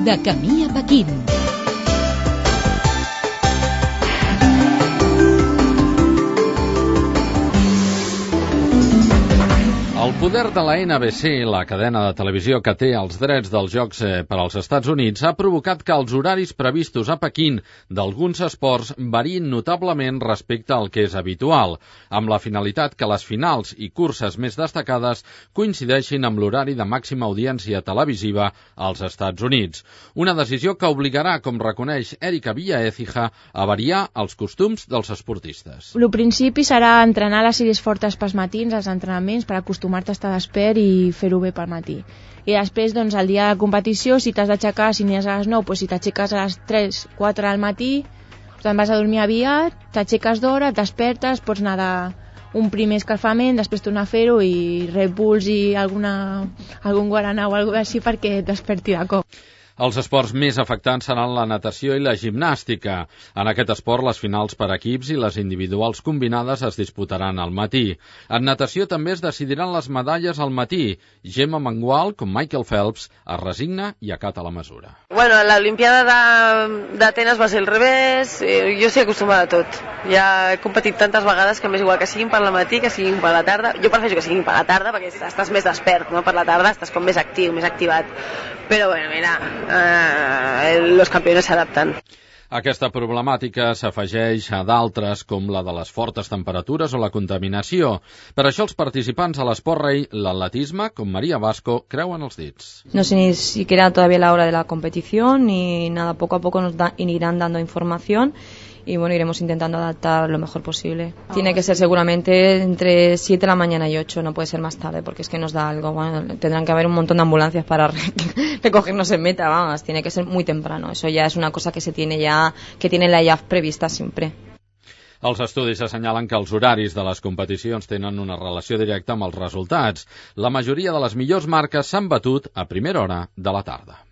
De camí a Pequín. El poder de la NBC, la cadena de televisió que té els drets dels Jocs per als Estats Units, ha provocat que els horaris previstos a Pequín d'alguns esports variïn notablement respecte al que és habitual, amb la finalitat que les finals i curses més destacades coincideixin amb l'horari de màxima audiència televisiva als Estats Units. Una decisió que obligarà, com reconeix Erika Villaécija, a variar els costums dels esportistes. El principi serà entrenar les sèries fortes pels matins, els entrenaments, per acostumar-te a estar despert i fer-ho bé pel matí. I després, doncs, el dia de competició, si t'has d'aixecar, si n'hi has a les 9, doncs si t'aixeques a les 3, 4 del matí, te'n vas a dormir aviat, t'aixeques d'hora, et despertes, pots anar un primer escalfament, després tornar a fer-ho i Red Bulls i algun guaraná o alguna cosa així perquè et desperti de cop. Els esports més afectants seran la natació i la gimnàstica. En aquest esport, les finals per equips i les individuals combinades es disputaran al matí. En natació també es decidiran les medalles al matí. Gemma Mengual, com Michael Phelps, es resigna i acata la mesura. Bueno, l'Olimpiada d'Atenes va ser al revés, jo estic acostumada a tot. Ja he competit tantes vegades que m'és igual que siguin per la matí, que siguin per la tarda. Jo prefereixo que siguin per la tarda perquè estàs més despert, no? Per la tarda estàs com més actiu, més activat. Però bueno, mira, los campeones s'adapten. Aquesta problemàtica s'afegeix a d'altres, com la de les fortes temperatures o la contaminació. Per això els participants a l'esport rei, l'atletisme, com María Vasco, creuen els dits. No sé ni siquiera todavía la hora de la competición, ni nada, poco a poco nos irán dando información. Y bueno, iremos intentando adaptar lo mejor posible. Tiene que ser seguramente entre 7 de la mañana y 8, no puede ser más tarde, porque es que nos da algo. Bueno, tendrán que haber un montón de ambulancias para recogernos en meta, vamos, tiene que ser muy temprano. Eso ya es una cosa que se tiene ya, que tiene la IAF prevista siempre. Els estudis assenyalen que els horaris de les competicions tenen una relació directa amb els resultats. La majoria de les millors marques s'han batut a primera hora de la tarda.